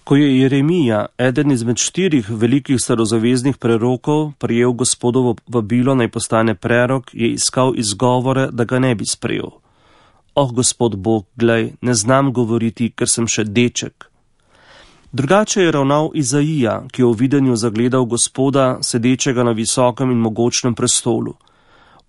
Ko je Jeremija, eden izmed 4 velikih starozaveznih prerokov, prijel Gospodovo vabilo naj postane prerok, je iskal izgovore, da ga ne bi sprejel. Gospod Bog, glej, ne znam govoriti, ker sem še deček. Drugače je ravnal Izaija, ki je v videnju zagledal Gospoda, sedečega na visokem in mogočnem prestolu.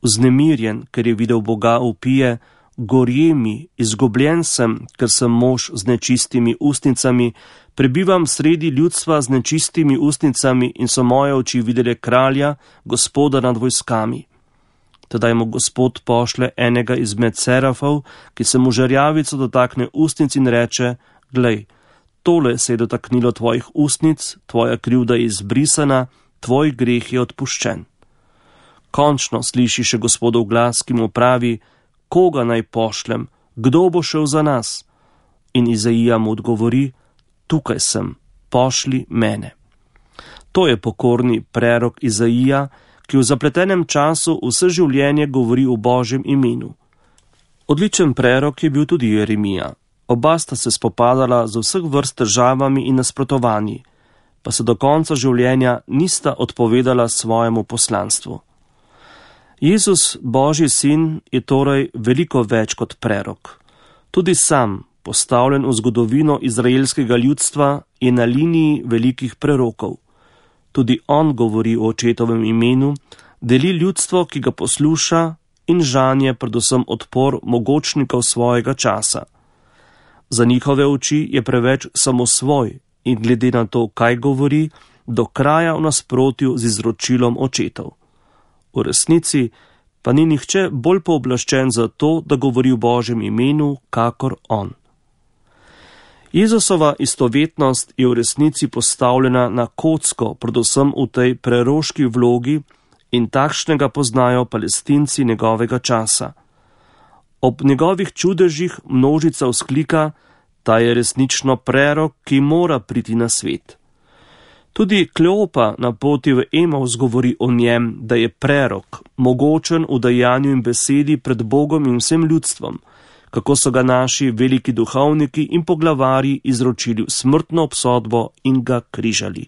Vznemirjen, ker je videl Boga, vpije: Gorje mi, izgubljen sem, ker sem mož z nečistimi ustnicami, prebivam sredi ljudstva z nečistimi ustnicami in so moje oči videle kralja, Gospoda nad vojskami. Tedaj mu Gospod pošle enega izmed serafov, ki se mu žerjavico dotakne ustnic in reče: Glej, tole se je dotaknilo tvojih ustnic, tvoja krivda je izbrisana, tvoj greh je odpuščen. Končno sliši še Gospodov glas, ki mu pravi: Koga naj pošljem, kdo bo šel za nas? In Izaija mu odgovori: Tukaj sem, pošli mene. To je pokorni prerok Izaija, ki v zapletenem času vse življenje govori v Božjem imenu. Odličen prerok je bil tudi Jeremija. Oba sta se spopadala z vseh vrst težavami in nasprotovanji, pa se do konca življenja nista odpovedala svojemu poslanstvu. Jezus, Božji sin, je torej veliko več kot prerok. Tudi sam, postavljen v zgodovino izraelskega ljudstva, je na liniji velikih prerokov. Tudi on govori o očetovem imenu, deli ljudstvo, ki ga posluša, in žanje predvsem odpor mogočnikov svojega časa. Za njihove oči je preveč samosvoj in glede na to, kaj govori, do kraja v nasprotju z izročilom očetov. V resnici pa ni nihče bolj pooblaščen za to, da govori v Božjem imenu, kakor on. Jezusova istovetnost je v resnici postavljena na kocko, predvsem v tej preroški vlogi, in takšnega poznajo Palestinci njegovega časa. Ob njegovih čudežih množica vzklika: Ta je resnično prerok, ki mora priti na svet. Tudi Kleopa na poti v Emavs govori o njem, da je prerok, mogočen v dejanju in besedi pred Bogom in vsem ljudstvom, kako so ga naši veliki duhovniki in poglavarji izročili v smrtno obsodbo in ga križali.